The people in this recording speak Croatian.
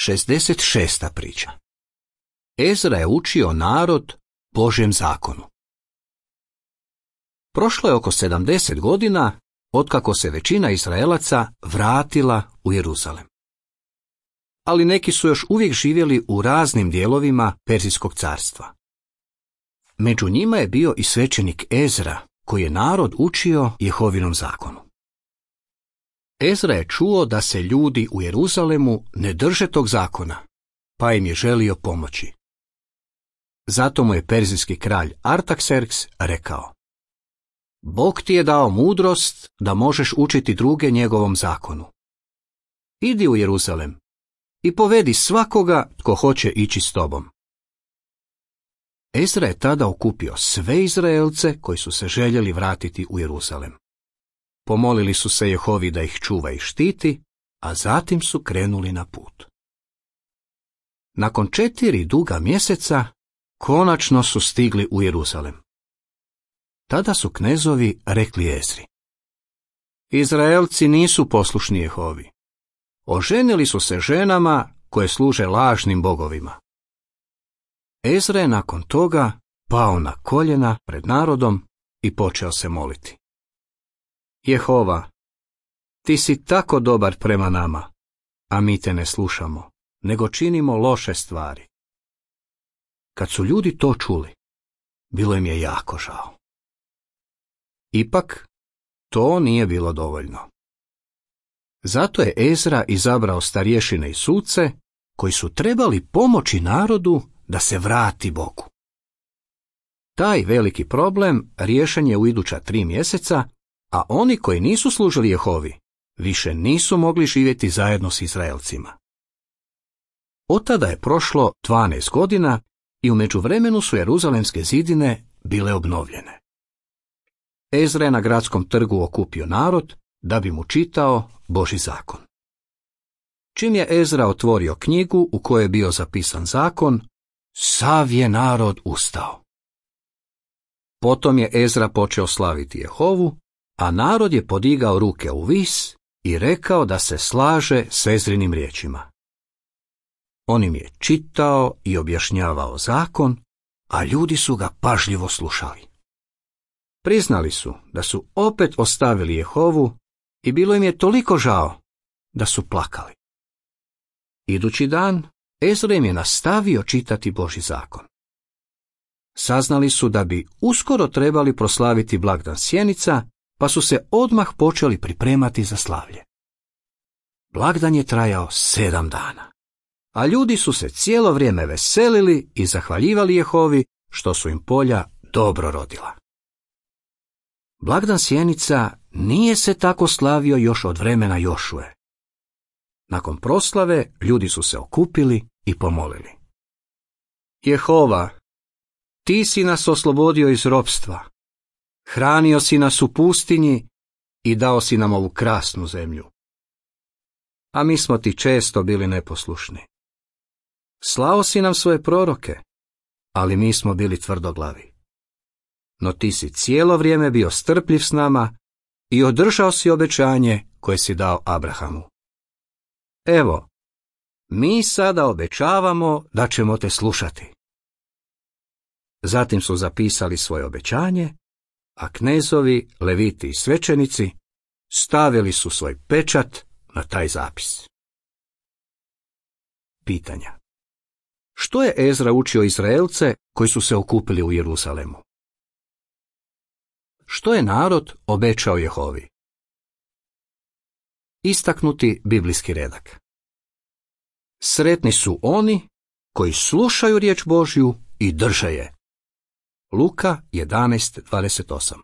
66. priča. Ezra je učio narod Božjem zakonu. Prošlo je oko 70 godina otkako se većina Izraelaca vratila u Jeruzalem. Ali neki su još uvijek živjeli u raznim dijelovima Perzijskog carstva. Među njima je bio i svećenik Ezra, koji je narod učio Jehovinom zakonu. Ezra je čuo da se ljudi u Jeruzalemu ne drže tog zakona, pa im je želio pomoći. Zato mu je perzijski kralj Artakserks rekao: Bog ti je dao mudrost da možeš učiti druge njegovom zakonu. Idi u Jeruzalem i povedi svakoga tko hoće ići s tobom. Ezra je tada okupio sve Izraelce koji su se željeli vratiti u Jeruzalem. Pomolili su se Jehovi da ih čuva i štiti, a zatim su krenuli na put. Nakon 4 duga mjeseca, konačno su stigli u Jeruzalem. Tada su knezovi rekli Ezri: Izraelci nisu poslušni Jehovi. Oženili su se ženama koje služe lažnim bogovima. Ezra je nakon toga pao na koljena pred narodom i počeo se moliti: Jehova, ti si tako dobar prema nama, a mi te ne slušamo, nego činimo loše stvari. Kad su ljudi to čuli, bilo im je jako žao. Ipak, to nije bilo dovoljno. Zato je Ezra izabrao starješine i suce, koji su trebali pomoći narodu da se vrati Bogu. Taj veliki problem riješen je u iduća 3 mjeseca, a oni koji nisu služili Jehovi više nisu mogli živjeti zajedno s Izraelcima. Od tada je prošlo 12 godina i u međuvremenu su jeruzalemske zidine bile obnovljene. Ezra je na gradskom trgu okupio narod da bi mu čitao Božji zakon. Čim je Ezra otvorio knjigu u kojoj je bio zapisan zakon, sav je narod ustao. Potom je Ezra počeo slaviti Jehovu, a narod je podigao ruke u vis i rekao da se slaže s Ezrinim riječima. On im je čitao i objašnjavao zakon, a ljudi su ga pažljivo slušali. Priznali su da su opet ostavili Jehovu i bilo im je toliko žao da su plakali. Idući dan Ezra im je nastavio čitati Božji zakon. Saznali su da bi uskoro trebali proslaviti blagdan sjenica, pa su se odmah počeli pripremati za slavlje. Blagdan je trajao 7 dana, a ljudi su se cijelo vrijeme veselili i zahvaljivali Jehovi što su im polja dobro rodila. Blagdan sjenica nije se tako slavio još od vremena Jošue. Nakon proslave ljudi su se okupili i pomolili: Jehova, ti si nas oslobodio iz ropstva, hranio si nas u pustinji i dao si nam ovu krasnu zemlju. A mi smo ti često bili neposlušni. Slao si nam svoje proroke, ali mi smo bili tvrdoglavi. No ti si cijelo vrijeme bio strpljiv s nama i održao si obećanje koje si dao Abrahamu. Evo, mi sada obećavamo da ćemo te slušati. Zatim su zapisali svoje obećanje, a knezovi, leviti i svećenici stavili su svoj pečat na taj zapis. Pitanja. Što je Ezra učio Izraelce koji su se okupili u Jeruzalemu? Što je narod obećao Jehovi? Istaknuti biblijski redak. Sretni su oni koji slušaju riječ Božju i drže je. Luka 11:28.